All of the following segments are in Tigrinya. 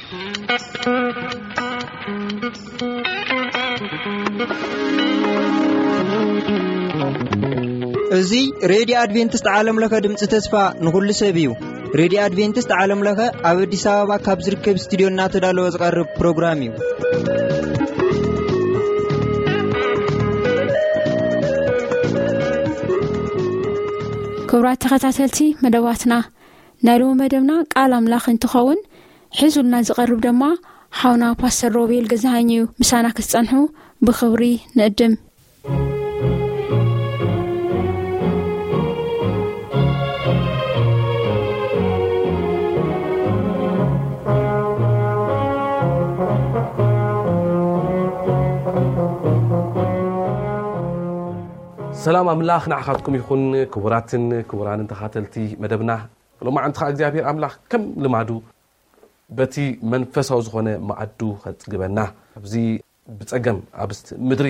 እዚ ሬድዮ ኣድቬንቲስት ዓለም ለኸ ድምፂ ተስፋ ንኹሉ ሰብ እዩ። ሬድዮ ኣድቬንቲስት ዓለም ለኸ ኣብ ኣዲስ ኣበባ ካብ ዝርከብ ስቱዲዮ እናተዳለወ ዝቐርብ ፕሮግራም እዩ። ክቡራት ተኸታተልቲ መደባትና፣ ናይ ሎሚ መደብና ቃል ኣምላኽ እንትኸውን፣ ሒዙልና ዝቐርብ ድማ ሓውና ፓስተር ሮቤል ገዛሃኝ እዩ። ምሳና ክትጸንሑ ብኽብሪ ንእድም። ሰላም ኣምላኽ ንዓኻትኩም ይኹን። ክቡራትን ክቡራንን ተኻተልቲ መደብና፣ ሎማዓንቲ ኸዓ እግዚኣብሔር ኣምላኽ ከም ልማዱ በቲ መንፈሳዊ ዝኾነ መኣዱ ኸጽግበና፣ ኣብዚ ብጸገም ኣብስቲ ምድሪ፣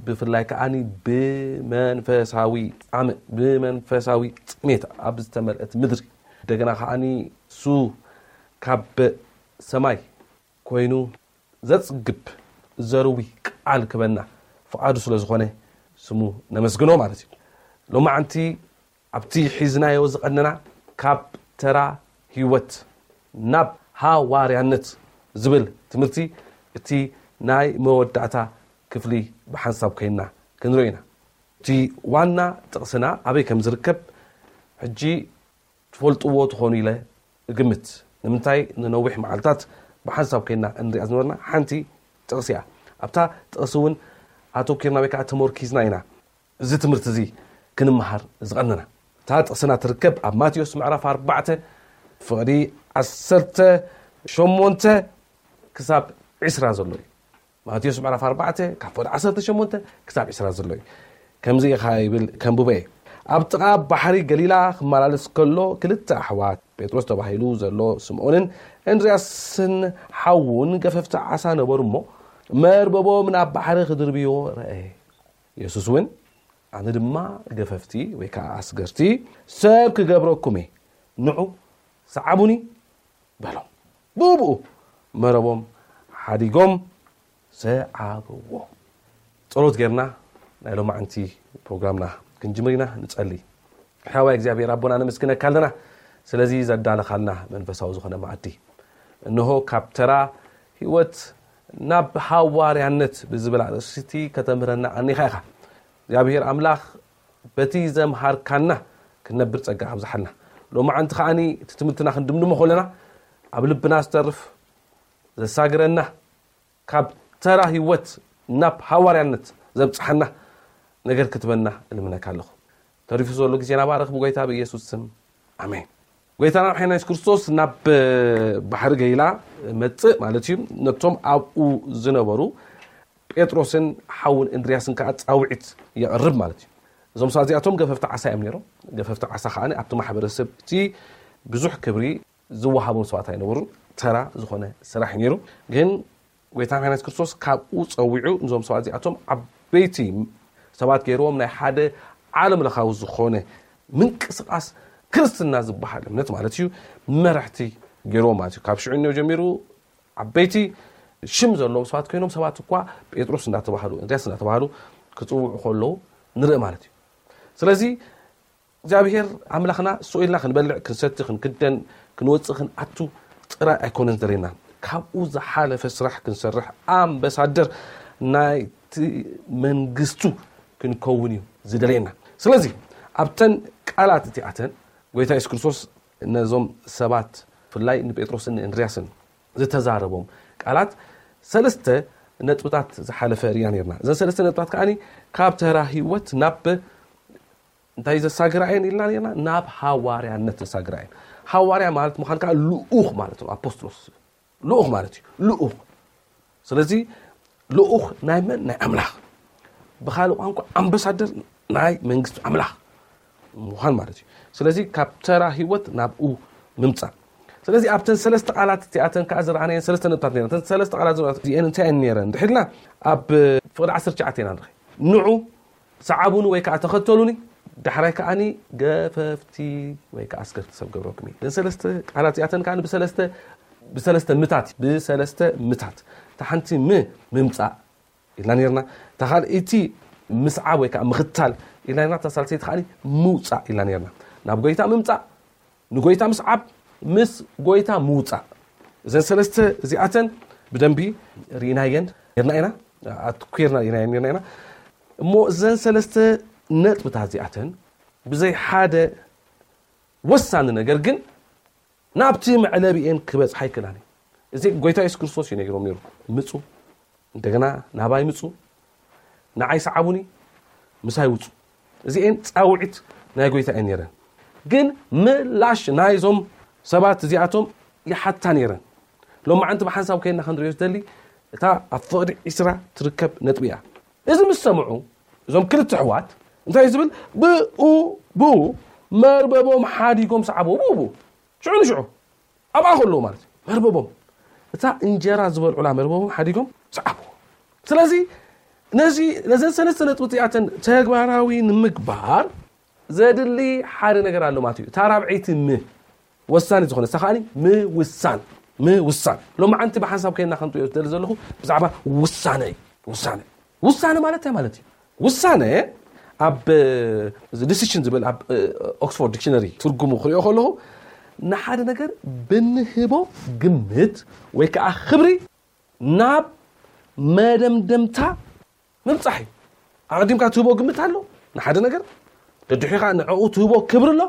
ብፍላይ ከዓኒ ብመንፈሳዊ ጻምእ፣ ብመንፈሳዊ ጽሜት ኣብ ዝተመልአት ምድሪ፣ እንደገና ከዓኒ እሱ ካብ ሰማይ ኮይኑ ዘጽግብ ዘርዊ ቃል ክበና ፍቓዱ ስለ ዝኾነ ስሙ ነመስግኖ ማለት እዩ። ሎማዓንቲ ኣብቲ ሒዝናዮ ዝቐነና ካብ ተራ ህይወት ናብ ሃዋርያነት ዝብል ትምህርቲ እቲ ናይ መወዳእታ ክፍሊ ብሓንሳብ ኮይንና ክንርኢ ኢና። እቲ ዋና ጥቕስና ኣበይ ከም ዝርከብ ሕጂ ትፈልጥዎ ትኾኑ ኢለ እግምት። ንምንታይ ንነዊሕ መዓልታት ብሓንሳብ ኮይንና እንሪኣ ዝነበርና ሓንቲ ጥቕሲ እያ። ኣብታ ጥቕሲ እውን ኣተኪርና ወይ ከዓ ተመርኪዝና ኢና እዚ ትምህርቲ እዚ ክንመሃር ዝቐነና። እታ ጥቕስና ትርከብ ኣብ ማቴዎስ ምዕራፍ ኣርባዕተ ፍቕዲ ዓሰርተ ሸሞንተ ክሳብ ዕስራ ዘሎ እዩ። ማቴዎስ ምዕራፍ ኣርባዕተ ካብ ፍቕዲ ዓሰርተ ሸሞንተ ክሳብ ዕስራ ዘሎ እዩ። ከምዚ ኢኻ ይብል፣ ከንብቦ እየ። ኣብ ጥቓ ባሕሪ ገሊላ ክመላለስ ከሎ ክልተ ኣሕዋት፣ ጴጥሮስ ተባሂሉ ዘሎ ስምዖንን እንድርያስን ሓዉን ገፈፍቲ ዓሳ ነበሩ እሞ፣ መርበቦም ናብ ባሕሪ ክድርብይዎ ረኣየ። የሱስ እውን፣ ኣነ ድማ ገፈፍቲ ወይ ከዓ ኣስገርቲ ሰብ ክገብረኩም እየ፣ ንዑ ሰዓቡኒ በሎም። ብኡብኡ መረቦም ሓዲጎም ሰዓብዎ። ጸሎት ጌርና ናይ ሎማዓንቲ ፕሮግራምና ክንጅምር ኢና። ንጸሊ። ሕያዋይ እግዚኣብሔር ኣቦና፣ ነመስግነካ ኣለና ስለዚ ዘዳለኻልና መንፈሳዊ ዝኾነ መኣዲ። እንሆ ካብ ተራ ህይወት ናብ ሃዋርያነት ብዝብል ኣርእስቲ ከተምህረና ኣኒኻ ኢኻ። እግዚኣብሔር ኣምላኽ በቲ ዘምሃርካና ክንነብር ጸጋ ኣብዝሓልና። ሎማዓንቲ ከዓኒ እቲ ትምህርትና ክንድምድሞ ከለና ኣብ ልብና ዝተርፍ ዘሳግረና ካብ ተራ ህይወት ናብ ሃዋርያነት ዘብጽሓና ነገር ክትበና እልምነካ ኣለኹ። ተሪፉ ዘሎ ግዜና ባርኽ ብጎይታ ብኢየሱስ ስም ኣሜን። ጎይታና መድሓኒና የሱስ ክርስቶስ ናብ ባሕሪ ገሊላ መጽእ ማለት እዩ። ነቶም ኣብኡ ዝነበሩ ጴጥሮስን ሓውን እንድርያስን ከዓ ጻውዒት የቕርብ ማለት እዩ። እዞም ሰባት እዚኣቶም ገፈፍቲ ዓሳ እዮም ነይሮም። ገፈፍቲ ዓሳ ከዓ ኣብቲ ማሕበረሰብ እቲ ብዙሕ ክብሪ ዝወሃቦም ሰባት ኣይነበሩን። ተራ ዝኾነ ስራሕ እዩ ነይሩ። ግን ጎይታ መድሓኒት ክርስቶስ ካብኡ ጸዊዑ ነዞም ሰባት እዚኣቶም ዓበይቲ ሰባት ገይርዎም ናይ ሓደ ዓለም ለኻዊ ዝኾነ ምንቅስቓስ ክርስትና ዝበሃል እምነት ማለት እዩ መራሕቲ ገይርዎም ማለት እዩ። ካብ ሽዑ ጀሚሩ ዓበይቲ ሽም ዘለዎም ሰባት ኮይኖም ሰባት እኳ ጴጥሮስ እንዳተባሃሉ እንድርያስ እንዳተባሃሉ ክጽውዑ ከለዉ ንርኢ ማለት እዩ። ስለዚ እግዚኣብሔር ኣምላኽና ስቕ ኢልና ክንበልዕ ክንሰቲ ክንክደን ክንወፅእ ክንኣቱ ጥራይ ኣይኮነን ዝደልየና፣ ካብኡ ዝሓለፈ ስራሕ ክንሰርሕ ኣምበሳደር ናይቲ መንግስቱ ክንከውን እዩ ዝደልየና። ስለዚ ኣብተን ቃላት እቲኣተን ጎይታ የሱስ ክርስቶስ ነዞም ሰባት ብፍላይ ንጴጥሮስን ንእንድርያስን ዝተዛረቦም ቃላት ሰለስተ ነጥብታት ዝሓለፈ ርኢና ነርና። እዘን ሰለስተ ነጥብታት ከዓኒ ካብ ተራ ህይወት ናብ እንታይ ዘሳግራ እየን ኢልና ነርና? ናብ ሃዋርያነት ዘሳግራ እየን። ሃዋርያ ማለት ምዃን ከዓ ልኡኽ ማለት ነው። ኣፖስጥሎስ ልኡኽ ማለት እዩ። ልኡኽ። ስለዚ ልኡኽ ናይ መን? ናይ ኣምላኽ። ብኻልእ ቋንቋ ኣምባሳደር ናይ መንግስቲ ኣምላኽ ምዃን ማለት እዩ። ስለዚ ካብ ተራ ህይወት ናብኡ ምምፃእ። ስለዚ ኣብተን ሰለስተ ቃላት እቲኣተን ከዓ ዝረኣናየን ሰለስተ ነጥብታት ነይረን። እተን ሰለስተ ቃላት ዝረኣናየን እንታይ እየን ነይረን? ድሕልና ኣብ ፍቕዲ ዓሰርተ ትሽዓተ ኢና ንርኢ። ንዑ ሰዓቡኒ ወይ ከዓ ተኸተሉኒ፣ ዳሕራይ ከዓኒ ገፈፍቲ ወይ ከዓ ኣስገርቲ ሰብ ገብረኩም እየ። እዘን ሰለስተ ቃላት እዚኣተን ከዓኒ ብሰለስተ ብሰለስተ ምታት ብሰለስተ ምታት እታ ሓንቲ ም ምምፃእ ኢልና ነርና። እታ ካልኣይቲ ምስዓብ ወይ ከዓ ምኽታል ኢልና ነርና። እታ ሳልሰይቲ ከዓ ምውፃእ ኢልና ነርና። ናብ ጎይታ ምምፃእ፣ ንጎይታ ምስዓብ፣ ምስ ጎይታ ምውፃእ። እዘን ሰለስተ እዚኣተን ብደንቢ ርኢናየን ነርና ኢና፣ ኣትኩርና ርኢናየን ነርና ኢና። እሞ እዘን ሰለስተ ነጥብታት እዚኣተን ብዘይ ሓደ ወሳኒ ነገር ግን ናብቲ መዕለቢኤን ክበፅሓ ኣይክእላን እዩ። እዚ ጎይታ የሱስ ክርስቶስ እዩ ነጊሮም ነይሩ። ምፁ፣ እንደገና ናባይ ምፁ፣ ንዓይ ሰዓቡኒ፣ ምሳይ ውፁ። እዚኤን ፃውዒት ናይ ጎይታ እየን ነይረን። ግን ምላሽ ናይዞም ሰባት እዚኣቶም ይሓታ ነይረን። ሎማዓንቲ ብሓንሳብ ከይና ክንሪኦ ዝደሊ እታ ኣብ ፍቕዲ ዒስራ ትርከብ ነጥቢ እያ። እዚ ምስ ሰምዑ እዞም ክልተ ኣሕዋት እንታይ ዝብል ብኡ ብኡ መርበቦም ሓዲጎም ሰዓብዎ። ብኡ ብኡ ሽዑ ንሽዑ ኣብኣ ከለዉ ማለት እዩ። መርበቦም እታ እንጀራ ዝበልዑላ መርበቦም ሓዲጎም ሰዓብዎ። ስለዚ ነዚ ነዘን ሰለስተ ነጥብታት እተን ተግባራዊ ንምግባር ዘድሊ ሓደ ነገር ኣሎ ማለት እዩ። እታ ራብዐይቲ ም ወሳኒ ዝኾነ እሳ ከዓኒ ምውሳን ምውሳን። ሎማዓንቲ ብሓንሳብ ከይና ከምትሪኦ ዝደሊ ዘለኹ ብዛዕባ ውሳነ እዩ። ውሳነ ውሳነ ማለት እንታይ ማለት እዩ? ውሳነ ኣብ ዲሲሽን ዝብል ኣብ ኦክስፎርድ ዲክሽነሪ ትርጉሙ ክሪኦ ከለኹ ንሓደ ነገር ብንህቦ ግምት ወይ ከዓ ክብሪ ናብ መደምደምታ ምብፃሕ እዩ። ኣቐዲምካ ትህቦ ግምት ኣሎ ንሓደ ነገር፣ ደድሕሪኻ ንዕኡ ትህቦ ክብሪ ኣሎ።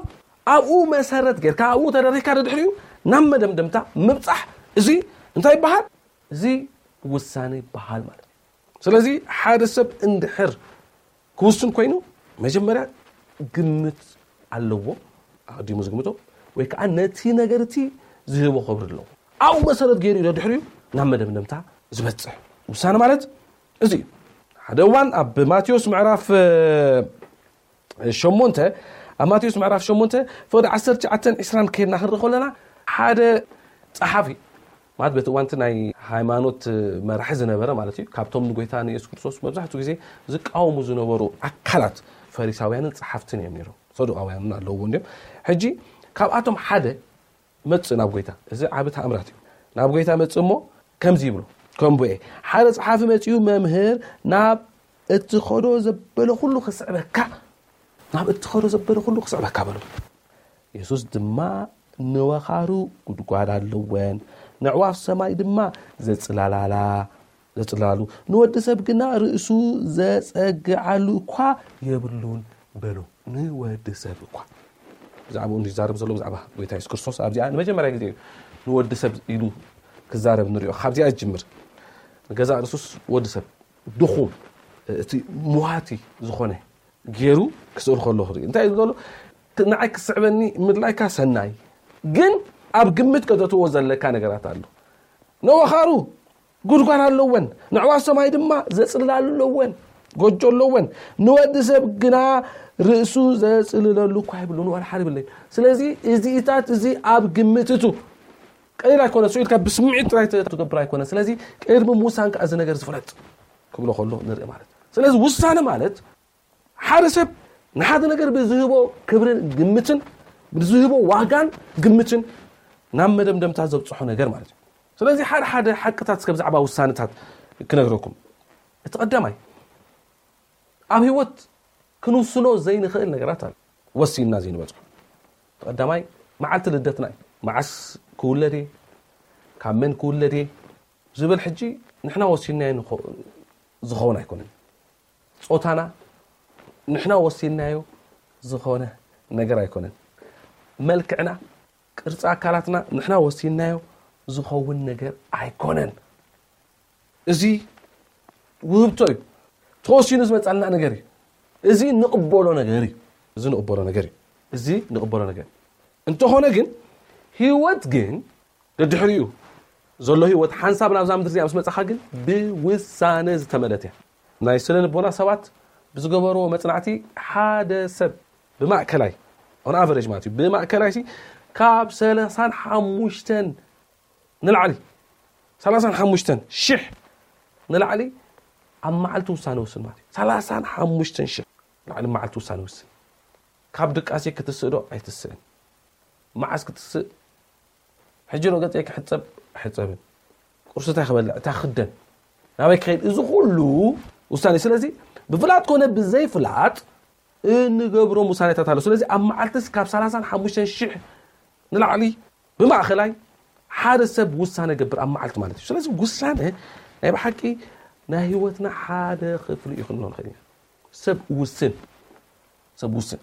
ኣብኡ መሰረት ጌርካ ኣብኡ ተደሪካ ደድሕሪኡ ናብ መደምደምታ ምብፃሕ፣ እዚ እንታይ ይበሃል? እዚ ውሳነ ይበሃል ማለት እዩ። ስለዚ ሓደ ሰብ እንድሕር ክውስን ኮይኑ መጀመርያ ግምት ኣለዎ፣ ኣቐዲሙ ዝግምቶ ወይ ከዓ ነቲ ነገር እቲ ዝህቦ ክብሪ ኣለዎ። ኣብኡ መሰረት ገይሩ እዩ ደድሕሪኡ ናብ መደምደምታ ዝበፅሕ። ውሳነ ማለት እዚ እዩ። ሓደ እዋን ኣብ ማቴዎስ ምዕራፍ ሸሞንተ ኣብ ማቴዎስ ምዕራፍ ሸሞንተ ፍቕዲ ዓሰርተ ትሽዓተን ዕስራን ከይድና ክንርኢ ከለና ሓደ ፀሓፊ ማለት በቲ እዋንቲ ናይ ሃይማኖት መራሒ ዝነበረ ማለት እዩ። ካብቶም ንጎይታ ንየሱስ ክርስቶስ መብዛሕትኡ ግዜ ዝቃወሙ ዝነበሩ ኣካላት ፈሪሳውያንን ፀሓፍትን እዮም ነይሮም። ሰዱቃውያንን ኣለውዎ እንዲም። ሕጂ ካብኣቶም ሓደ መጽእ ናብ ጎይታ። እዚ ዓቢ ተኣምራት እዩ። ናብ ጎይታ መጽእ እሞ ከምዚ ይብሎ፣ ከምቡኤ ሓደ ጸሓፊ መጺኡ፣ መምህር ናብ እትኸዶ ዘበለ ኩሉ ክስዕበካ፣ ናብ እትኸዶ ዘበለ ኩሉ ክስዕበካ በሎ። የሱስ ድማ ንወኻሩ ጉድጓድ ኣለወን፣ ንዕዋፍ ሰማይ ድማ ዘጽላላላ ዘጽላሉ፣ ንወዲ ሰብ ግና ርእሱ ዘጸግዓሉ እኳ የብሉን በሎ። ንወዲ ሰብ እኳ ብዛዕባኡ እንዲዛረብ ዘሎ ብዛዕባ ጎይታ የሱስ ክርስቶስ ኣብዚኣ ንመጀመርያ ግዜ እዩ ንወዲ ሰብ ኢሉ ክዛረብ ንሪኦ። ካብዚኣ ዝጅምር ንገዛእ ርእሱስ ወዲ ሰብ ድኹም እቲ ሙሃቲ ዝኾነ ገይሩ ክስእል ከሎ ክርኢ እንታይ እዩ ዝብሎ? ንዓይ ክስዕበኒ ምድላይካ ሰናይ፣ ግን ኣብ ግምት ከተእትዎ ዘለካ ነገራት ኣሎ። ነወኻሩ ጉድጓድ ኣለወን፣ ንዕዋፍ ሰማይ ድማ ዘጽልላሉ ኣለወን፣ ጎጆ ኣለወን። ንወዲ ሰብ ግና ርእሱ ዘጽልለሉ እኳ የብሉን፣ ዋላ ሓደ የብለይ። ስለዚ እዚኢታት እዚ ኣብ ግምት እቱ ቀሊል ኣይኮነ። ስኢልካ ብስምዒት ጥራይ ትገብር ኣይኮነ። ስለዚ ቅድሚ ምውሳን ከዓ እዚ ነገር ዝፍለጥ ክብሎ ከሎ ንርኢ ማለት። ስለዚ ውሳነ ማለት ሓደ ሰብ ንሓደ ነገር ብዝህቦ ክብርን ግምትን ብዝህቦ ዋጋን ግምትን ናብ መደምደምታ ዘብፅሖ ነገር ማለት እዩ። ስለዚ ሓደ ሓደ ሓቅታት እስከ ብዛዕባ ውሳነታት ክነግረኩም። እቲ ቀዳማይ ኣብ ህይወት ክንውስኖ ዘይንኽእል ነገራት ኣሎ። ወሲንና ዘይንበፅሖ። እቲ ቀዳማይ መዓልቲ ልደትና እዩ። መዓስ ክውለድ እየ፣ ካብ መን ክውለድ እየ ዝብል ሕጂ ንሕና ወሲንናዮ ንኸ- ዝኸውን ኣይኮነን። ጾታና ንሕና ወሲንናዮ ዝኾነ ነገር ኣይኮነን። መልክዕና፣ ቅርጺ ኣካላትና ንሕና ወሲንናዮ ዝኸውን ነገር ኣይኮነን። እዚ ውህብቶ እዩ። ተወሲኑ ዝመጻልና ነገር እዩ። እዚ ንቕበሎ ነገር እዩ። እዚ ንቕበሎ ነገር እዩ። እዚ ንቕበሎ ነገር እዩ። እንተኾነ ግን ህይወት ግን ደድሕሪኡ ዘሎ ህይወት ሓንሳብ ናብዛ ምድሪ እዚኣ ምስ መጻኻ ግን ብውሳነ ዝተመልአት እያ። ናይ ስነ ልቦና ሰባት ብዝገበርዎ መጽናዕቲ ሓደ ሰብ ብማእከላይ on average ማለት እዩ ብማእከላይ ሲ ካብ ሰላሳን ሓሙሽተን ንላዕሊ ሰላሳን ሓሙሽተን ሽሕ ንላዕሊ ኣብ መዓልቲ ውሳነ ውስን ማለት እዩ። ሰላሳን ሓሙሽተን ሽሕ ንላዕሊ መዓልቲ ውሳነ ውስን። ካብ ድቃሴ ክትስእ ዶ ኣይትስእን? መዓስ ክትስእ? ሕጂ ዶ ገጸይ ክሕጸብ ሕፀብን ቁርሲ እንታይ ክበልዕ እንታይ ክደን ናበይ ክኸይድ እዚ ኩሉ ውሳኔ። ስለዚ ብፍላጥ ኮነ ብዘይፍላጥ እንገብሮም ውሳኔታት ኣሎ። ስለዚ ኣብ መዓልትስ ካብ ሰላሳን ሓሙሽተን ሽሕ ንላዕሊ ብማእኸላይ ሓደ ሰብ ውሳነ ገብር ኣብ መዓልቲ ማለት እዩ። ስለዚ ውሳነ ናይ ብሓቂ ናይ ህይወትና ሓደ ክፍሊ እዩ ክንብሎ ንኽእል ኢና። ሰብ ውስን ሰብ ውስን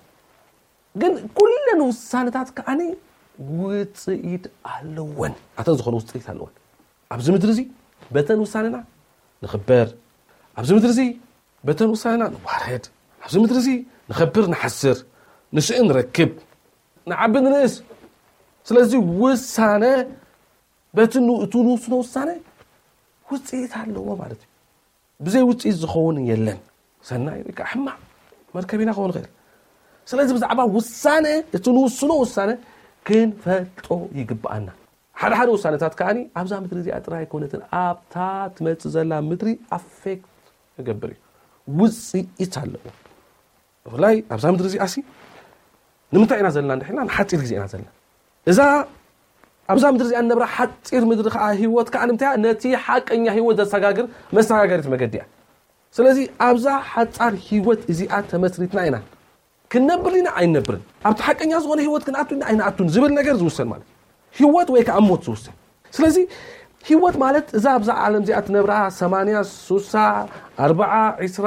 ግን ኩለን ውሳነታት ከዓኒ ውፅኢት ኣለወን። ኣተን ዝኾነ ውፅኢት ኣለወን። ኣብዚ ምድሪ እዚ በተን ውሳነና ንኽበር፣ ኣብዚ ምድሪ እዚ በተን ውሳነና ንዋረድ፣ ኣብዚ ምድሪ እዚ ንኸብር ንሓስር፣ ንስእን ንረክብ፣ ንዓቢ ንንእስ። ስለዚ ውሳነ በቲ ን- እቲ ንውስኖ ውሳነ ውፅኢት ኣለዎ ማለት እዩ። ብዘይ ውፅኢት ዝኸውን የለን። ሰናይ ወይ ከዓ ሕማቕ መርከቢና ክኸውን ይኽእል። ስለዚ ብዛዕባ ውሳነ እቲ ንውስኖ ውሳነ ክንፈልጦ ይግብኣና። ሓደ ሓደ ውሳነታት ከዓኒ ኣብዛ ምድሪ እዚኣ ጥራይ ኣይኮነትን ኣብታ ትመፅእ ዘላ ምድሪ ኣፌክት ይገብር እዩ። ውፅኢት ኣለዎ። ብፍላይ ኣብዛ ምድሪ እዚኣ ሲ ንምንታይ ኢና ዘለና እንድሕልና ንሓፂር ግዜ ኢና ዘለና። እዛ ኣብዛ ምድሪ እዚኣ ንነብራ ሓፂር ምድሪ ከዓ ህይወት ከዓ ንምንታይ ነቲ ሓቀኛ ህይወት ዘሰጋግር መሰጋገሪት መገዲ እያ። ስለዚ ኣብዛ ሓፃር ህይወት እዚኣ ተመስሪትና ኢና ክንነብር ኢና ኣይነብርን ኣብቲ ሓቀኛ ዝኾነ ህይወት ክንኣቱ ኢና ኣይንኣቱን ዝብል ነገር ዝውሰን ማለት ህይወት ወይ ከዓ ሞት ዝውሰን። ስለዚ ህይወት ማለት እዛ ኣብዛ ዓለም እዚኣ ትነብራ ሰማንያ ሱሳ ኣርባዓ ዒስራ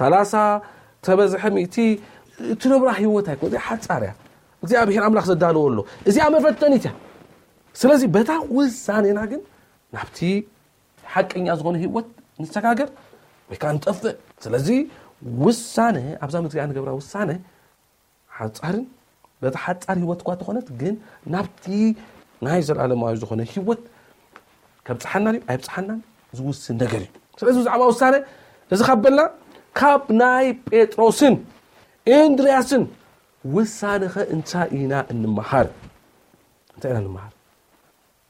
ሰላሳ ተበዝሐ ሚእቲ ትነብራ ህይወት ኣይኮ እዚኣ ሓፃር እያ። እግዚኣብሔር ኣምላኽ ዘዳለዎ ኣሎ። እዚኣ መፈተኒት እያ። ስለዚ በታ ውሳኔና ግን ናብቲ ሓቀኛ ዝኾነ ህይወት ንሰጋገር ወይ ከዓ ንጠፍእ። ስለዚ ውሳነ ኣብዛ ምድሪ ንገብራ ውሳነ ሓፃርን በቲ ሓፃር ህይወት እኳ ተኾነት ግን ናብቲ ናይ ዘለዓለማዊ ዝኾነ ህይወት ከብፅሓና ድዩ ኣይብፅሓናን ዝውስን ነገር እዩ። ስለዚ ብዛዕባ ውሳነ እዚ ካብ በልና ካብ ናይ ጴጥሮስን እንድርያስን ውሳነኸ እንታይ ኢና እንመሃር? እንታይ ኢና እንመሃር?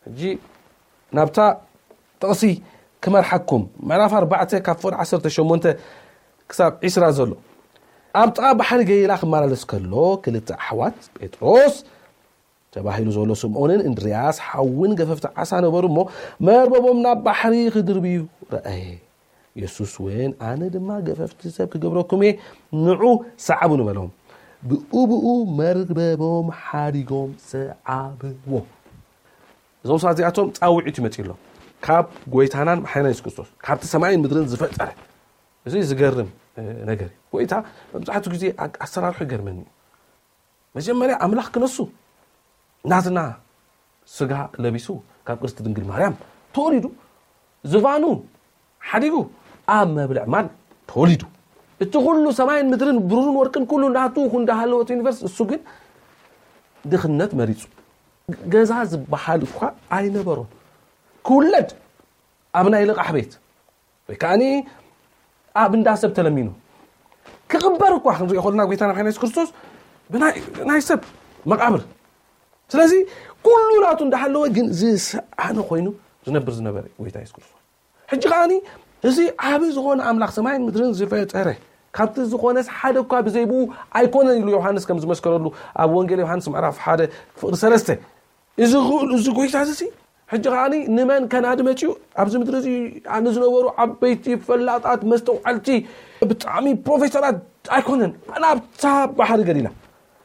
ሕጂ ናብታ ጥቕሲ ክመርሓኩም ምዕራፍ ኣርባዕተ ካብ ፍቕዲ ዓሰርተ ሸሞንተ ክሳብ ዒስራ ዘሎ ኣብ ጥቓ ባሕሪ ገሊላ ክመላለስ ከሎ ክልተ ኣሕዋት ጴጥሮስ ተባሂሉ ዘሎ ስምዖንን እንድርያስ ሓውን ገፈፍቲ ዓሳ ነበሩ እሞ መርበቦም ናብ ባሕሪ ክድርብዩ ረኣየ። የሱስ እውን ኣነ ድማ ገፈፍቲ ሰብ ክገብረኩም እየ ንዑ ሰዓቡኒ በሎም። ብኡ ብኡ መርበቦም ሓዲጎም ሰዓብዎ። እዞም ሰባት እዚኣቶም ፃውዒት እዩ መፂእሎም ካብ ጎይታናን መሓይና የሱስ ክርስቶስ ካብቲ ሰማይን ምድርን ዝፈጠረ እዚ ዝገርም ነገር እዩ። ጎይታ መብዛሕትኡ ግዜ ኣሰራርሑ ይገርመኒ እዩ። መጀመርያ ኣምላኽ ክነሱ ናትና ስጋ ለቢሱ ካብ ቅድስቲ ድንግል ማርያም ተወሊዱ ዝፋኑ ሓዲጉ ኣብ መብልዕ ማል ተወሊዱ። እቲ ኩሉ ሰማይን ምድርን ብሩርን ወርቅን ኩሉ ናቱ እንዳሃለወት ዩኒቨርስ እሱ ግን ድኽነት መሪፁ። ገዛ ዝበሃል እኳ ኣይነበሮን። ክውለድ ኣብ ናይ ልቓሕ ቤት ወይ ከዓኒ ኣብ እንዳ ሰብ ተለሚኑ ክቕበር እኳ ክንሪኦ ከለና ጎይታና ሓይና የሱስ ክርስቶስ ብናይ ናይ ሰብ መቃብር ስለዚ ኩሉ ናቱ እንዳሃለወ ግን ዝሰኣነ ኮይኑ ዝነብር ዝነበረ ጎይታ የሱስ ክርስቶስ ሕጂ ከዓኒ እዚ ዓቢ ዝኾነ ኣምላኽ ሰማይን ምድርን ዝፈጠረ ካብቲ ዝኾነስ ሓደ እኳ ብዘይብኡ ኣይኮነን ኢሉ ዮሃንስ ከም ዝመስከረሉ ኣብ ወንጌል ዮሃንስ ምዕራፍ ሓደ ፍቕዲ ሰለስተ እዚ ክእሉ እዚ ጎይታ እዚ ሕጂ ከዓኒ ንመን ከናዲ መፅኡ ኣብዚ ምድሪ እዚ ንዝነበሩ ዓበይቲ ፈላጣት መስተውዓልቲ ብጣዕሚ ፕሮፌሰራት ኣይኮነን ናብታ ባሕሪ ገሊላ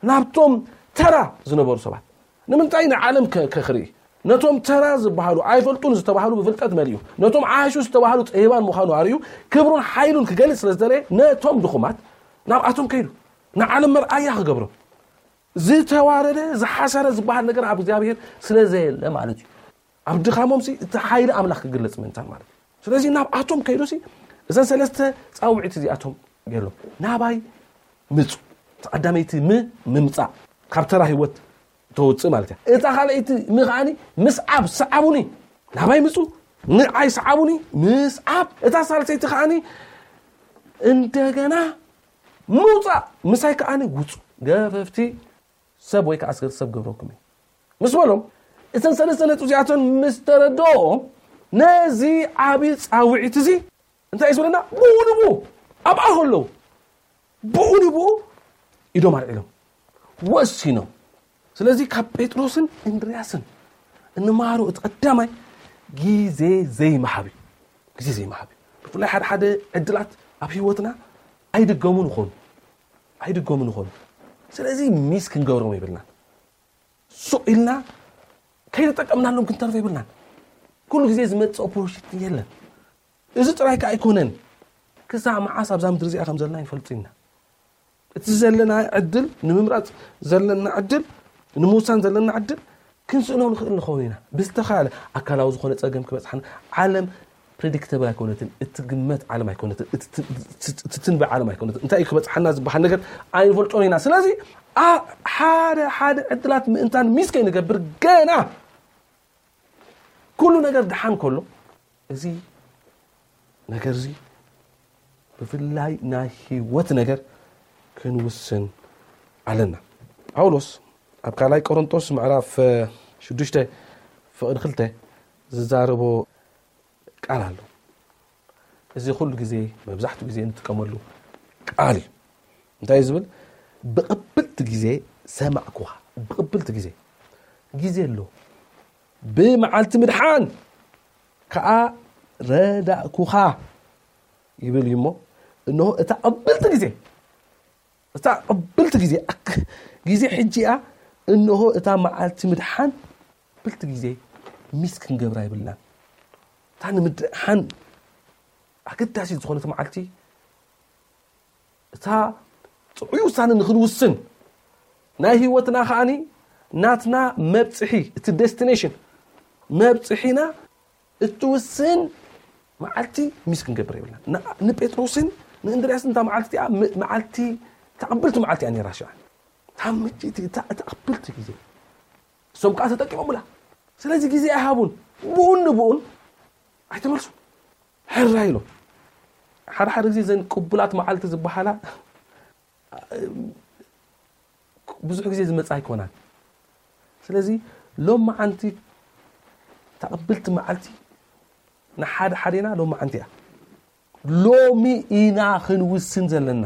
ናብቶም ተራ ዝነበሩ ሰባት ንምንታይ ንዓለም ከክርኢ ነቶም ተራ ዝበሃሉ ኣይፈልጡን ዝተባህሉ ብፍልጠት መሊኡ ነቶም ዓሹ ዝተባህሉ ጠቢባን ምዃኑ ኣርእዩ ክብሩን ሓይሉን ክገልፅ ስለ ዝደለየ ነቶም ድኹማት ናብኣቶም ከይዱ ንዓለም መርኣያ ክገብሮም ዝተዋረደ ዝሓሰረ ዝበሃል ነገር ኣብ እግዚኣብሔር ስለ ዘየለ ማለት እዩ ኣብ ድኻሞም ሲ እቲ ሓይሊ ኣምላኽ ክግለጽ ምእንታን ማለት እዩ ስለዚ ናብኣቶም ከይዱ ሲ እዘን ሰለስተ ጻውዒት እዚኣቶም ገይሮም ናባይ ምጹ እቲ ቀዳመይቲ ም ምምጻእ ካብ ተራ ህይወት ተውፅእ ማለት እያ እታ ካልኣይቲ ም ከዓኒ ምስዓብ ሰዓቡኒ ናባይ ምጹ ንዓይ ሰዓቡኒ ምስዓብ እታ ሳልሰይቲ ከዓኒ እንደገና ምውፃእ ምሳይ ከዓኒ ውፁ ገፈፍቲ ሰብ ወይ ከዓ ኣስገርቲ ሰብ ገብረኩም እዩ ምስ በሎም እተን ሰለስተ ነጥቢ እዚኣተን ምስ ተረድኦም ነዚ ዓብዪ ፃውዒት እዚ እንታይ እዩ ዝብለና ብኡ ንብኡ ኣብኣ ከለዉ ብኡ ንብኡ ኢዶም ኣልዒሎም ወሲኖም ስለዚ ካብ ጴጥሮስን እንድርያስን እንመሃሮ እቲ ቀዳማይ ግዜ ዘይምሃብ እዩ። ግዜ ዘይምሃብ እዩ። ብፍላይ ሓደ ሓደ ዕድላት ኣብ ህይወትና ኣይድገሙን ይኾኑ። ኣይድገሙን ይኾኑ። ስለዚ ሚስ ክንገብሮም የብልናን። ሱቕ ኢልና ከይተጠቀምናሎም ክንተርፍ የብልናን። ኩሉ ግዜ ዝመጽእ ኦፖርቹኒቲ የለን። እዚ ጥራይ ከኣ ኣይኮነን። ክሳዕ መዓስ ኣብዛ ምድሪ እዚኣ ከም ዘለና ይፈልጡ ኢና። እቲ ዘለና ዕድል ንምምራጽ ዘለና ዕድል ንምውሳን ዘለና ዕድል ክንስእኖ ንኽእል ንኸውን ኢና። ብዝተኻለ ኣካላዊ ዝኾነ ጸገም ክበጽሓና ዓለም ፕሬዲክተብል ኣይኮነትን፣ እትግመት ዓለም ኣይኮነትን፣ እትትንበ ዓለም ኣይኮነትን። እንታይ እዩ ክበጽሓና ዝበሃል ነገር ኣይንፈልጦን ኢና። ስለዚ ሓደ ሓደ ዕድላት ምእንታን ሚስ ከይንገብር ገና ኩሉ ነገር ደሓን ከሎ እዚ ነገር እዚ ብፍላይ ናይ ህይወት ነገር ክንውስን ኣለና። ጳውሎስ ኣብ ካልኣይ ቆሮንቶስ ምዕራፍ ሽዱሽተ ፍቕዲ ክልተ ዝዛረቦ ቃል ኣሎ። እዚ ኩሉ ግዜ መብዛሕትኡ ግዜ እንጥቀመሉ ቃል እዩ። እንታይ እዩ ዝብል? ብቕብልቲ ግዜ ሰማዕኩኻ። ብቕብልቲ ግዜ፣ ግዜ ኣሎ። ብመዓልቲ ምድሓን ከኣ ረዳእኩኻ ይብል እዩ እሞ፣ እንሆ እታ ቅብልቲ ግዜ፣ እታ ቅብልቲ ግዜ፣ ግዜ ሕጂ እያ። እንሆ እታ መዓልቲ ምድሓን ቅብልቲ ግዜ ሚስ ክንገብራ ይብልናን። እታ ንምድሓን ኣገዳሲት ዝኾነት መዓልቲ፣ እታ ጥዑይ ውሳነ ንኽንውስን፣ ናይ ህይወትና ከኣኒ ናትና መብጽሒ፣ እቲ ዴስቲኔሽን፣ መብጽሒና እትውስን መዓልቲ ሚስ ክንገብር የብልና። ንጴጥሮስን ንእንድርያስን እታ መዓልቲ እቲኣ መዓልቲ፣ ተቐብልቲ መዓልቲ እያ ነይራ። ሽዓ እታ ምጭቲ እታ ተቐብልቲ ግዜ እሶም ከዓ ተጠቂሞምላ። ስለዚ ግዜ ኣይሃቡን። ብኡን ንብኡን ኣይተመልሱን። ሕራ ኢሎም። ሓደ ሓደ ግዜ ዘን ቅቡላት መዓልቲ ዝበሃላ ብዙሕ ግዜ ዝመጽእ ኣይኮናን። ስለዚ ሎም መዓንቲ ተቐብልቲ መዓልቲ ንሓደ ሓደና ሎም መዓንቲ እያ። ሎሚ ኢና ክንውስን ዘለና።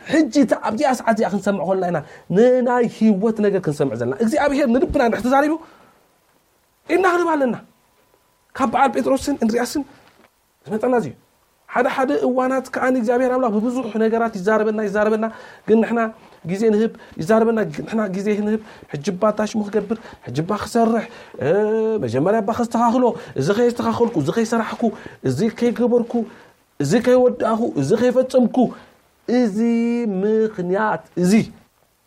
ሕጂ እታ ኣብዚኣ ሰዓት እዚኣ ክንሰምዕ ከለና ኢና ንናይ ህይወት ነገር ክንሰምዕ ዘለና። እግዚኣብሔር ንልብና እንድሕር ተዛሪቡ ኢና ክንብ ኣለና። ካብ በዓል ጴጥሮስን እንድርያስን ዝመጠና እዚ ሓደ ሓደ እዋናት ከኣ እግዚኣብሔር ኣምላኽ ብብዙሕ ነገራት ይዛረበና ይዛረበና። ግን ንሕና ግዜ ንህብ። ይዛረበና፣ ንሕና ግዜ ንህብ። ሕጂ እባ እንታይ ሽሙ ክገብር፣ ሕጂ እባ ክሰርሕ፣ መጀመርያ እባ ከስተኻኽሎ፣ እዚ ከየስተኻኸልኩ፣ እዚ ከይሰራሕኩ፣ እዚ ከይገበርኩ፣ እዚ ከይወዳእኹ፣ እዚ ከይፈጸምኩ። እዚ ምኽንያት እዚ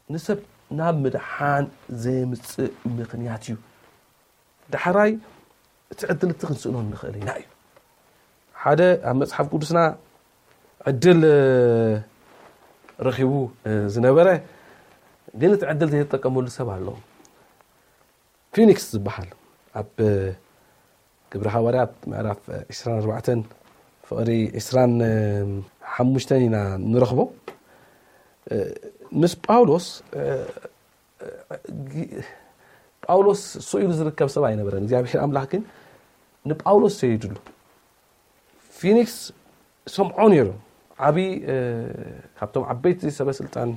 ንሰብ ናብ ምድሓን ዘምጽእ ምኽንያት እዩ። ዳሕራይ እቲ ዕድል እቲ ክንስእኖ ንኽእል ኢና እዩ። ሓደ ኣብ መጽሓፍ ቅዱስና ዕድል ረኺቡ ዝነበረ ግን እቲ ዕድል ዘይተጠቀመሉ ሰብ ኣሎ። ፊኒክስ ዝበሃል ኣብ ግብሪ ሃዋርያት ምዕራፍ ዕስራን ኣርባዕተን ፍቕሪ ዕስራን ሓሙሽተን ኢና ንረኽቦ። ምስ ጳውሎስ ጳውሎስ ስኢሉ ዝርከብ ሰብ ኣይነበረን። እግዚኣብሔር ኣምላኽ ግን ንጳውሎስ ሰይድሉ። ፊኒክስ ሰምዖ ነይሩ። ዓብዪ ካብቶም ዓበይቲ ሰበ ስልጣን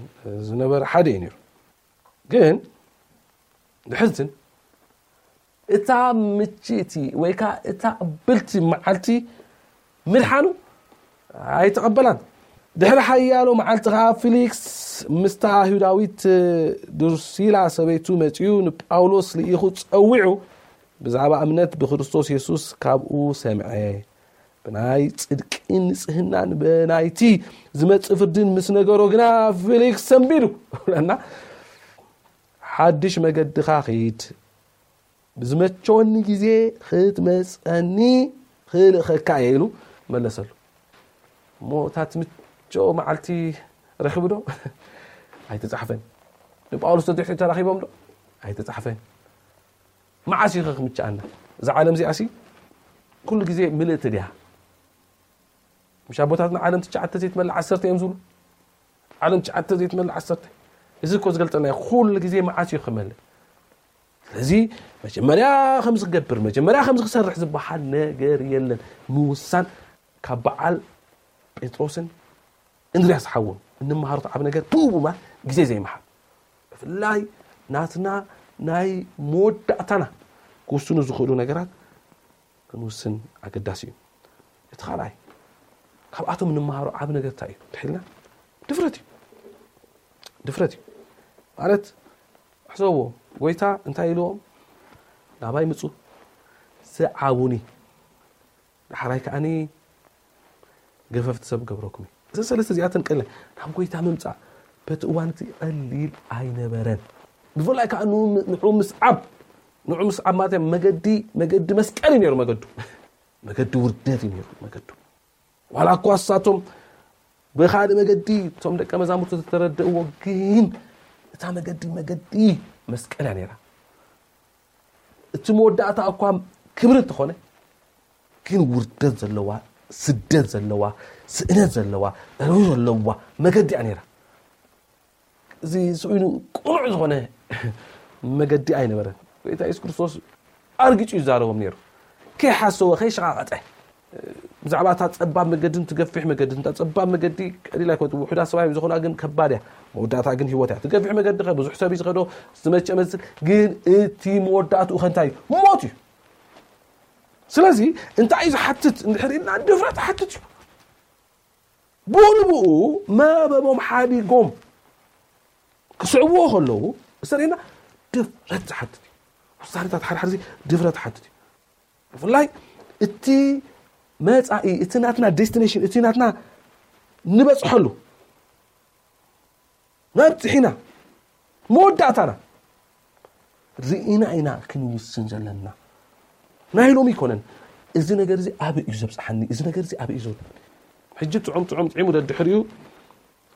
ዝነበረ ሓደ እዩ ነይሩ። ግን ድሕርትን እታ ምችእቲ ወይ ከዓ እታ ቅብልቲ መዓልቲ ምድሓኑ ኣይተቐበላን። ድሕሪ ሓያሎ መዓልቲ ከዓ ፊሊክስ ምስታ ይሁዳዊት ድሩሲላ ሰበይቱ መጺኡ ንጳውሎስ ልኢኹ ጸዊዑ ብዛዕባ እምነት ብክርስቶስ የሱስ ካብኡ ሰምዐ። ብናይ ጽድቅን ንጽህናን ብናይቲ ዝመጽእ ፍርድን ምስ ነገሮ ግና ፊሊክስ ሰንቢዱ። ብለና ሓድሽ መገድኻ ኺድ፣ ብዝመቸወኒ ግዜ ክትመጸኒ ክልእኸካ እየ ኢሉ መለሰሉ። እሞ እታ ትምቸኦ መዓልቲ ረኺቡ ዶ? ኣይተጻሕፈን። ንጳውሎስ ተድሕሪ ተራኺቦም ዶ? ኣይተጻሕፈን። መዓስ እዩ ክምችኣና? እዛ ዓለም እዚኣ ሲ ኩሉ ግዜ ምልእቲ ድያ? ምሽ ኣቦታትና ዓለም ትሽዓተ ዘይትመልእ ዓሰርተ እዮም ዝብሉ። ዓለም ትሽዓተ ዘይትመልእ ዓሰርተ። እዚ እኮ ዝገልጸልና እዩ። ኩሉ ግዜ መዓስ እዩ ክመልእ? ስለዚ መጀመርያ ከም ዝገብር፣ መጀመርያ ከም ዝሰርሕ ዝበሃል ነገር የለን። ምውሳን ካብ በዓል ጴጥሮስን እንድርያስ ሓውን እንመሃሮ ዓቢ ነገር ብኡ ብምባል ግዜ ዘይምሓብ። ብፍላይ ናትና ናይ መወዳእታና ክውስኑ ዝኽእሉ ነገራት ክንውስን ኣገዳሲ እዩ። እቲ ካልኣይ፣ ካብኣቶም እንመሃሮ ዓብ ነገር እንታይ እዩ? ድሒልና ድፍረት እዩ። ድፍረት እዩ ማለት፣ ሕሰብዎ፣ ጎይታ እንታይ ኢልዎም? ናባይ ምጹ፣ ስዓቡኒ፣ ዳሕራይ ከኣኒ ገፈፍቲ ሰብ ገብረኩም እዩ። እዚ ሰለስተ እዚኣተን ቀለ ናብ ጎይታ ምምጻእ በቲ እዋን እቲ ቀሊል ኣይነበረን። ብፍላይ ከዓ ንዑ ምስዓብ፣ ንዑ ምስዓብ ማለት መገዲ፣ መገዲ መስቀል እዩ ነይሩ መገዱ። መገዲ ውርደት እዩ ነይሩ መገዱ። ዋላ እኳ እሳቶም ብኻልእ መገዲ እቶም ደቀ መዛሙርቱ ዝተረድእዎ፣ ግን እታ መገዲ መገዲ መስቀል እያ ነይራ። እቲ መወዳእታ እኳ ክብሪ እንተኾነ፣ ግን ውርደት ዘለዋ፣ ስደት ዘለዋ፣ ስእነት ዘለዋ፣ ዕርዊ ዘለዋ መገዲ እያ ነይራ። እዚ ስኢኑ ቅኑዕ ዝኾነ መገዲ ኣይነበረን። ጎይታ የሱስ ክርስቶስ ኣርጊጹ ይዛረቦም ነይሩ። ከይሓሰወ፣ ከይሸቓቐጠ፣ ብዛዕባ እታ ጸባብ መገድን ትገፊሕ መገድን፣ እታ ጸባብ መገዲ ቀሊል ኣይኮነትን፣ ውሑዳት ሰባት እዮም ዝኾና፣ ግን ከባድ እያ። መወዳእታ ግን ህይወት እያ። ትገፊሕ መገዲ ከ ብዙሕ ሰብ እዩ ዝኸዶ፣ ዝመቸ መስል፣ ግን እቲ መወዳእትኡ ከ እንታይ እዩ? ሞት እዩ። ስለዚ እንታይ እዩ ዝሓትት እንድሕር ኢልና፣ ድፍረት ይሓትት እዩ። ብኡ ንብኡ መርበቦም ሓዲጎም ክስዕብዎ ከለዉ፣ እስተርእየና ድፍረት ዝሓትት እዩ። ውሳነታት ሓደ ሓደ ግዜ ድፍረት ዝሓትት እዩ። ብፍላይ እቲ መጻኢ፣ እቲ ናትና ዴስቲኔሽን፣ እቲ ናትና ንበጽሐሉ፣ መብጽሒና፣ መወዳእታና ርኢና ኢና ክንውስን ዘለና። ናይ ሎሚ ኣይኮነን። እዚ ነገር እዚ ኣበይ እዩ ዘብጽሓኒ? እዚ ነገር እዚ ኣበይ እዩ ዘውድቐኒ? ሕጂ ጥዑም ጥዑም ጥዒሙ ደድሕሪኡ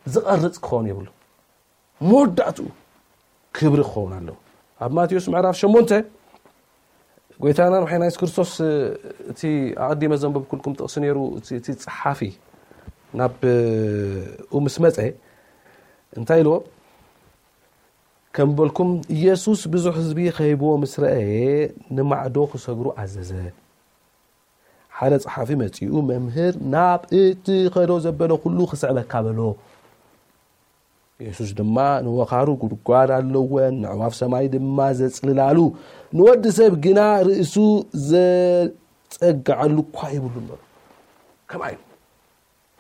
ዝቐርጽ ክኸውን የብሉ። መወዳእትኡ ክብሪ ክኸውን ኣለዎ። ኣብ ማቴዎስ ምዕራፍ ሸሞንተ ጎይታና መሓይና የሱስ ክርስቶስ፣ እቲ ኣቐዲመ ዘንበብኩልኩም ጥቕሲ ነይሩ። እቲ፣ እቲ ጸሓፊ ናብ፣ ኡ ምስ መጸ እንታይ ኢልዎ? ከም በልኩም፣ ኢየሱስ ብዙሕ ህዝቢ ከይብዎ ምስ ረኣየ፣ ንማዕዶ ክሰግሩ ኣዘዘ። ሓደ ጸሓፊ መጺኡ፣ "መምህር፣ ናብ እትኸዶ ዘበለ ኩሉ ክስዕበካ" በሎ። የሱስ ድማ ንወኻሩ ጉድጓድ ኣለወን፣ ነዕዋፍ ሰማይ ድማ ዘጽልላሉ፣ ንወዲ ሰብ ግና ርእሱ ዘጸግዓሉ እኳ የብሉን በሎ። ከምኣ እዩ።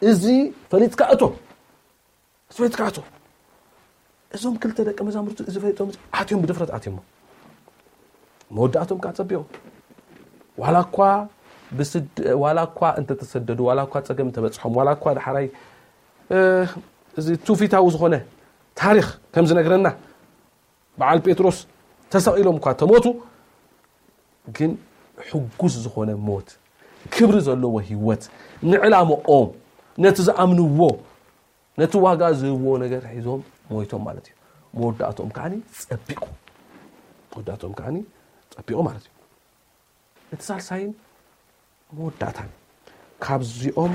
እዚ ፈሊጥካ እቶ። እዚ ፈሊጥካ እቶ። እዞም ክልተ ደቀ መዛሙርቱ እዚ ፈሊጦም፣ ኣትዮም፣ ብድፍረት ኣትዮሞ። መወዳእቶም ከዓ ጸቢቑ። ዋላ እኳ ብስድ-፣ ዋላ እኳ እንተተሰደዱ፣ ዋላ እኳ ጸገም እንተበጽሖም፣ ዋላ እኳ ዳሕራይ፣ እ፣ እዚ ትውፊታዊ ዝኾነ ታሪኽ ከም ዝነግረና፣ በዓል ጴጥሮስ ተሰቒሎም እኳ ተሞቱ፣ ግን ሕጉስ ዝኾነ ሞት፣ ክብሪ ዘለዎ ህይወት፣ ንዕላምኦም፣ ነቲ ዝኣምንዎ፣ ነቲ ዋጋ ዝህብዎ ነገር ሒዞም ሞይቶም ማለት እዩ። መወዳእትኦም ከዓኒ ጸቢቑ። መወዳእትኦም ከዓኒ ጸቢቑ ማለት እዩ። እቲ ሳልሳይን መወዳእታን፣ ካብዚኦም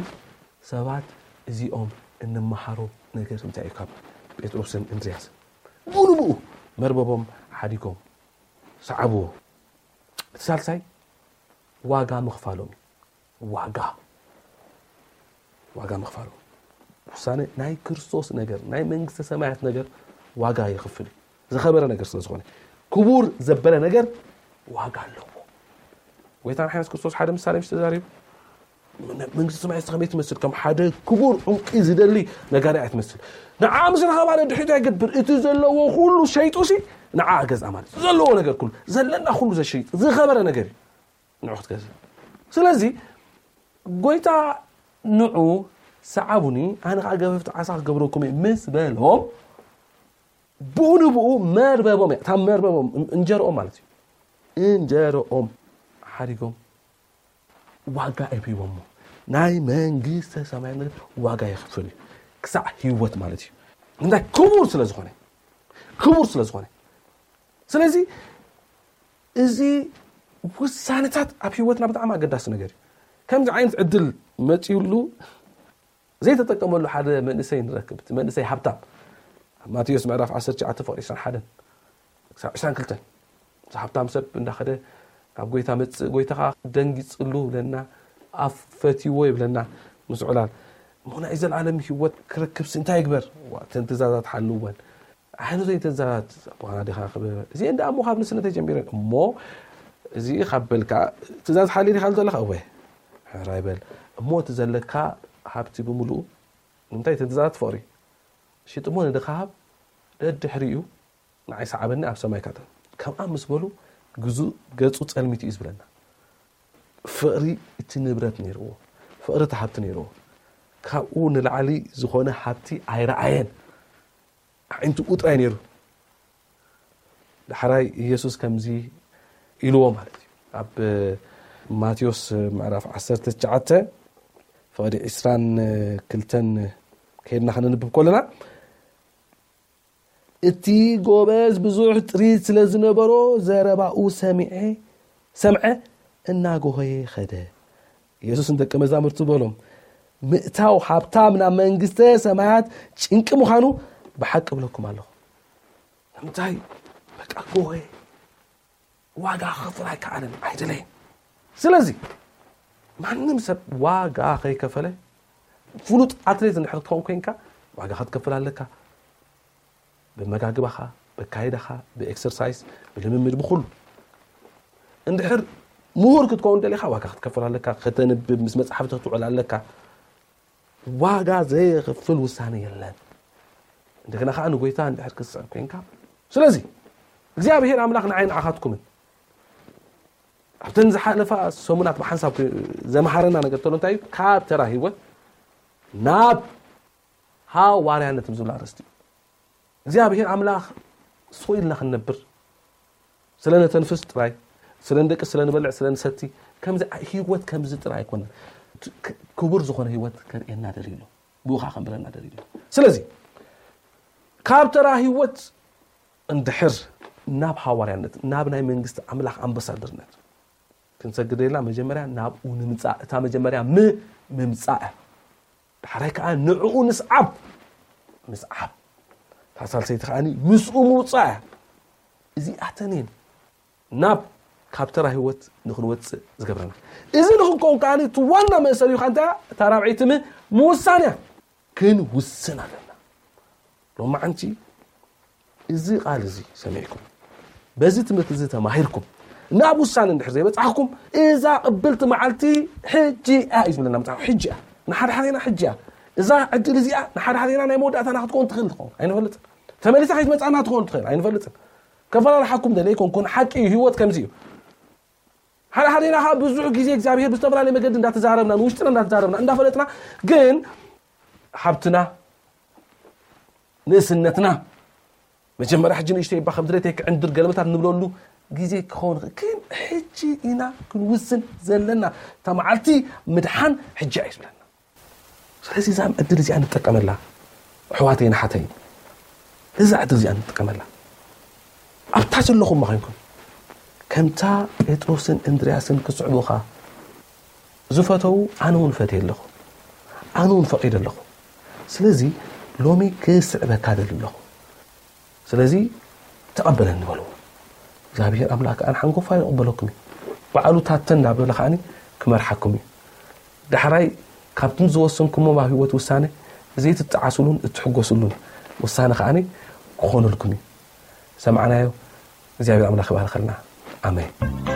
ሰባት እዚኦም እንመሃሮ ነገር እንታይ እዩ? ካብ ጴጥሮስን እንድርያስን፣ ብኡ ንብኡ መርበቦም ሓዲጎም ሰዓብዎ። እቲ ሳልሳይ ዋጋ ምኽፋሎም እዩ። ዋጋ፣ ዋጋ ምኽፋሎም። ውሳነ ናይ ክርስቶስ ነገር፣ ናይ መንግስተ ሰማያት ነገር ዋጋ የኽፍል እዩ። ዝኸበረ ነገር ስለ ዝኾነ፣ ክቡር ዘበለ ነገር ዋጋ ኣለዎ። ጎይታና የሱስ ክርስቶስ ሓደ ምሳሌ ምሽ ተዛሪቡ፣ መንግስቲ ሰማይ እስቲ ከመይ ትመስል? ከም ሓደ ክቡር ዕንቂ ዝደሊ ነጋዳይ እያ ትመስል። ንዓ ምስ ረኸባ ነድሕሪት ኣይገብር፣ እቲ ዘለዎ ኩሉ ሸይጡ ሲ ንዓ ገዝኣ ማለት እዩ። ዘለዎ ነገር ኩሉ፣ ዘለና ኩሉ ዘሸይጥ ዝኸበረ ነገር እዩ ንዑ ክትገዝእ። ስለዚ ጎይታ ንዑ ሰዓቡኒ፣ ኣነ ኸዓ ገፈፍቲ ዓሳ ክገብረኩም እየ ምስ በሎም፣ ብኡ ንብኡ መርበቦም እያ፣ እታ መርበቦም፣ እን-፣ እንጀርኦም ማለት እዩ። እንጀርኦም ሓዲጎም ዋጋ እዮም ሂቦሞ። ናይ መንግስተ ሰማያት ነገር ዋጋ የኽፍል እዩ። ክሳዕ ህይወት ማለት እዩ። እንታይ? ክቡር ስለ ዝኾነ። ክቡር ስለ ዝኾነ። ስለዚ እዚ ውሳነታት ኣብ ህይወትና ብጣዕሚ ኣገዳሲ ነገር እዩ። ከምዚ ዓይነት ዕድል መጺኡሉ ዘይተጠቀመሉ ሓደ መንእሰይ ንረክብ። እቲ መንእሰይ ሃብታም። ኣብ ማቴዎስ ምዕራፍ ዓሰርተ ትሽዓተ ፍቕሪ ዕስራን ሓደን ክሳብ ዕስራን ክልተን። እዚ ሃብታም ሰብ እንዳኸደ ናብ ጎይታ መጽእ፣ ጎይታ ኸዓ ደንጊጽሉ ይብለና፣ ኣፍ ፈትይዎ ይብለና። ምስ ዕላል እሞ ናይ ዘለኣለም ህይወት ክረክብሲ እንታይ ይግበር? ዋ፣ እተን ትእዛዛት ሓልወን። ኣሕንቶ እተን ትእዛዛት ኣቦኻና ኣዴኻ ክብር። እዚአን ደኣ እሞ ካብ ንእስነተይ ጀሚረን። እሞ እዚ ካብ በልካ ትእዛዝ ሓልየ ዲኻ ዘለኻ? እወ። ሕራይ በል። እሞ እቲ ዘለካ ሃብቲ ብምሉኡ፣ ንምንታይ እቲ ትእዛዛት ፍቕሪ? ሽጥሞ ንድኻ ሃብ፣ ደድሕሪኡ ንዓይ ሰዓበኒ ኣብ ሰማይ ካተ። ከምኣ ምስ በሉ ግዙእ ገጹ ጸልሚቱ እዩ ዝብለና። ፍቕሪ እቲ ንብረት ነይርዎ። ፍቕሪ እቲ ሃብቲ ነይርዎ። ካብኡ ንላዕሊ ዝኾነ ሃብቲ ኣይረኣየን። ኣዒንቱ ጥራይ ነይሩ። ዳሕራይ ኢየሱስ ከምዚ ኢልዎ ማለት እዩ። ኣብ ማቴዎስ ምዕራፍ ዓሰርተ ትሽዓተ ፍቕዲ ዕስራን ክልተን ከይድና ከነንብብ ከለና፣ እቲ ጎበዝ ብዙሕ ጥሪት ስለ ዝነበሮ ዘረባኡ ሰሚዐ ሰምዐ እናጎኸየ ኸደ። ኢየሱስ ንደቀ መዛሙርቱ በሎም፣ ምእታው ሃብታም ናብ መንግስተ ሰማያት ጭንቂ ምዃኑ ብሓቂ እብለኩም ኣለኹ። ንምንታይ? በቃ ጎኸየ። ዋጋ ክኸፍል ኣይከኣለን፣ ኣይደለየን። ስለዚ ማንም ሰብ ዋጋ ከይከፈለ፣ ፍሉጥ ኣትሌት እንድሕር ክትኸውን ኮይንካ ዋጋ ክትከፍል ኣለካ። ብመጋግባኻ፣ ብኣካይዳኻ፣ ብኤክሰርሳይስ፣ ብልምምድ፣ ብኹሉ። እንድሕር ምሁር ክትከውን ደሊኻ ዋጋ ክትከፍል ኣለካ። ከተንብብ፣ ምስ መጻሕፍቲ ክትውዕል ኣለካ። ዋጋ ዘየኽፍል ውሳነ የለን። እንደገና ከዓ ንጎይታ እንድሕር ክትስዕብ ኮይንካ። ስለዚ እግዚኣብሔር ኣምላኽ ንዓይ ንዓኻትኩምን ኣብተን ዝሓለፋ ሰሙናት ብሓንሳብ ዘምሃረና ነገር ተሎ እንታይ እዩ? ካብ ተራ ህይወት ናብ ሃዋርያነት ዝብል ኣርእስቲ እዩ። እግዚኣብሔር ኣምላኽ ስቕ ኢልና ክንነብር፣ ስለ ነተንፍስ ጥራይ፣ ስለ ንደቂ፣ ስለ ንበልዕ፣ ስለ ንሰቲ፣ ከምዚ ዓ-፣ ህይወት ከምዚ ጥራይ ኣይኮነን። ት-፣ ክ-፣ ክቡር ዝኾነ ህይወት ከርእየና ደልዩ ኣሎ። ብኡ ኸዓ ከንብረና ደልዩ ኣሎ። ስለዚ ካብ ተራ ህይወት እንድሕር ናብ ሃዋርያነት፣ ናብ ናይ መንግስቲ ኣምላኽ ኣምባሳደርነት ክንሰግድ ደሊና፣ መጀመርያ ናብኡ ንምጻእ፣ እታ መጀመርያ ም-፣ ምምጻእ እያ። ዳሕራይ ከኣ ንዕኡ ንስዓብ። ምስዓብ። እታ ሳልሰይቲ ከኣ ምስኡ ምውጻእ እያ። እዚኣተን እየን ናብ ካብ ተራ ህይወት ንኽንወጽእ ዝገብረና። እዚ ንኽንከውን ከኣ እቲ ዋና መእሰሪ እዩ። እንታይ እያ? እታ ራብዐይቲ ም-፣ ምውሳን እያ። ክንውስን ኣለና። ሎማዓንቲ እዚ ቃል እዚ ሰሚዕኩም፣ በዚ ትምህርቲ እዚ ተማሂርኩም፣ ናብ ውሳነ እንድሕር ዘይበጻሕኩም፣ እዛ ቅብልቲ መዓልቲ ሕጂ እያ እዩ ዝብለና መጽሓፍ። ሕጂ እያ። ንሓድሓዴና ሕጂ እያ። እዛ ዕድል እዚኣ ንሓድሓዴና ናይ መወዳእታና ክትከውን ትኽእል ትኸውን። ኣይንፈልጥን። ተመሊሳ ከይትመጽኣና ትኸውን ትኽእል። ኣይንፈልጥን። ከፈላልሓኩም ደለ ኣይኮንኩን። ሓቂ እዩ። ህይወት ከምዚ እዩ። ሓደ ሓዴና ከዓ ብዙሕ ግዜ እግዚኣብሔር ብዝተፈላለየ መገዲ እንዳተዛረብና፣ ንውሽጥና እንዳተዛረብና፣ እንዳፈለጥና፣ ግን ሃብትና፣ ንእስነትና፣ መጀመርያ ሕጂ ንእሽተይ እባ ከም ድሌተይ ክዕንድር ገለመታት ንብለሉ ግዜ ክኸውን ይኽእል። ግን ሕጂ ኢና ክንውስን ዘለና። እታ መዓልቲ ምድሓን ሕጂ እያ እዩ ዝብለና። ስለዚ እዛ ዕድል እዚኣ ንጠቀመላ፣ ኣሕዋተይን ኣሓተይን፣ እዛ ዕድል እዚኣ ንጠቀመላ። ኣብታ ዘለኹም ኮይንኩም፣ ከምታ ጴጥሮስን እንድርያስን ክስዕቡኻ ዝፈተዉ፣ ኣነ እውን ፈትየ ኣለኹ። ኣነ እውን ፈቒደ ኣለኹ። ስለዚ ሎሚ ክስዕበካ ደሊ ኣለኹ። ስለዚ ተቐበለኒ በልዎ። እግዚኣብሔር ኣምላኽ ከኣ ሓንጎፋ ይቕበለኩም እዩ። ባዕሉ ታተን እንዳበለ ከኣ ክመርሓኩም እዩ። ዳሕራይ ካብቶም ዝወሰንኩሞ ኣብ ህይወት ውሳነ ዘይትጠዓሱሉን እትሕጎሱሉን ውሳነ ከኣ ክኾነልኩም እዩ። ሰምዓናዮ። እግዚኣብሔር ኣምላኽ ይባርኸልና። ኣሜን።